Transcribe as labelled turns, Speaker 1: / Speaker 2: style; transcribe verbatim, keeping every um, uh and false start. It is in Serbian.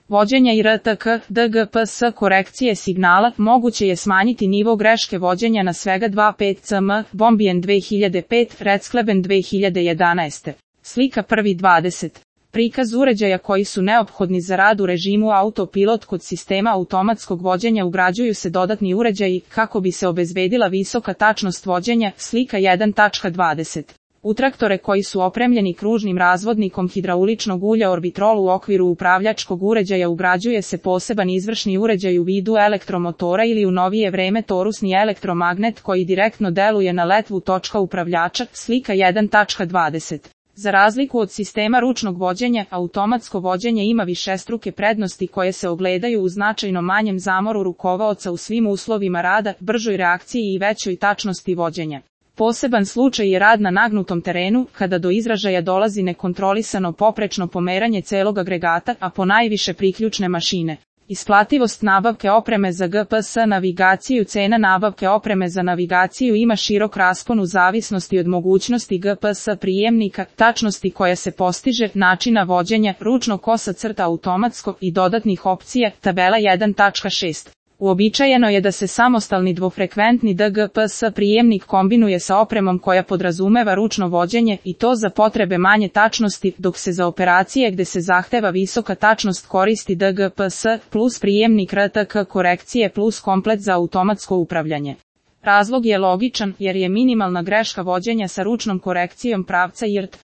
Speaker 1: vođenja i R T K, D G P S korekcije signala, moguće je smanjiti nivo greške vođenja na svega dva zarez pet cm, Bombien dve hiljade pet, Redskleben dve hiljade jedanaeste. Slika prvi dvadeset. Prikaz uređaja koji su neophodni za rad u režimu autopilot. Kod sistema automatskog vođenja ugrađuju se dodatni uređaji kako bi se obezbedila visoka tačnost vođenja. Slika jedan dvadeset. U traktore koji su opremljeni kružnim razvodnikom hidrauličnog ulja Orbitrol u okviru upravljačkog uređaja ugrađuje se poseban izvršni uređaj u vidu elektromotora ili u novije vreme torusni elektromagnet koji direktno deluje na letvu točka upravljača. Slika jedan dvadeset. Za razliku od sistema ručnog vođenja, automatsko vođenje ima višestruke prednosti koje se ogledaju u značajno manjem zamoru rukovaoca u svim uslovima rada, bržoj reakciji i većoj tačnosti vođenja. Poseban slučaj je rad na nagnutom terenu, kada do izražaja dolazi nekontrolisano poprečno pomeranje celog agregata, a ponajviše priključne mašine. Isplativost nabavke opreme za G P S navigaciju. Cena nabavke opreme za navigaciju ima širok raspon u zavisnosti od mogućnosti G P S prijemnika, tačnosti koja se postiže, načina vođenja, ručno kosa crta automatsko i dodatnih opcija. Tabela jedan šest. Uobičajeno je da se samostalni dvofrekventni D G P S prijemnik kombinuje sa opremom koja podrazumeva ručno vođenje i to za potrebe manje tačnosti, dok se za operacije gde se zahteva visoka tačnost koristi D G P S plus prijemnik R T K korekcije plus komplet za automatsko upravljanje. Razlog je logičan jer je minimalna greška vođenja sa ručnom korekcijom pravca I R T